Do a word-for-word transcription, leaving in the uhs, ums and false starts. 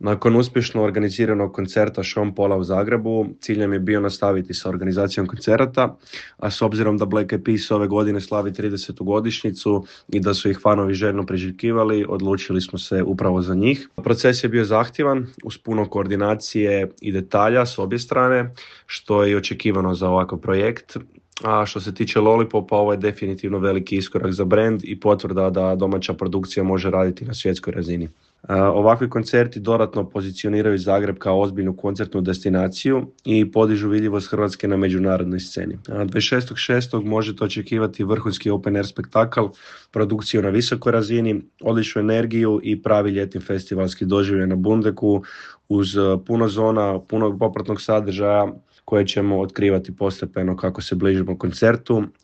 Nakon uspješno organiziranog koncerta Sean Paula u Zagrebu, cilj nam je bio nastaviti sa organizacijom koncerata, a s obzirom da Black Eyed Peas ove godine slavi tridesetu godišnjicu i da su ih fanovi željno priželjkivali, odlučili smo se upravo za njih. Proces je bio zahtjevan, uz puno koordinacije i detalja s obje strane, što je i očekivano za ovakav projekt. A što se tiče Lollipopa, ovo je definitivno veliki iskorak za brand i potvrda da domaća produkcija može raditi na svjetskoj razini. Uh, ovakvi koncerti dodatno pozicioniraju Zagreb kao ozbiljnu koncertnu destinaciju i podižu vidljivost Hrvatske na međunarodnoj sceni. Uh, dvadeset šestog šestog možete očekivati vrhunski open air spektakl, produkciju na visokoj razini, odličnu energiju i pravi ljetni festivalski doživljaj na Bundeku uz puno zona, puno popratnog sadržaja koje ćemo otkrivati postepeno kako se bližimo koncertu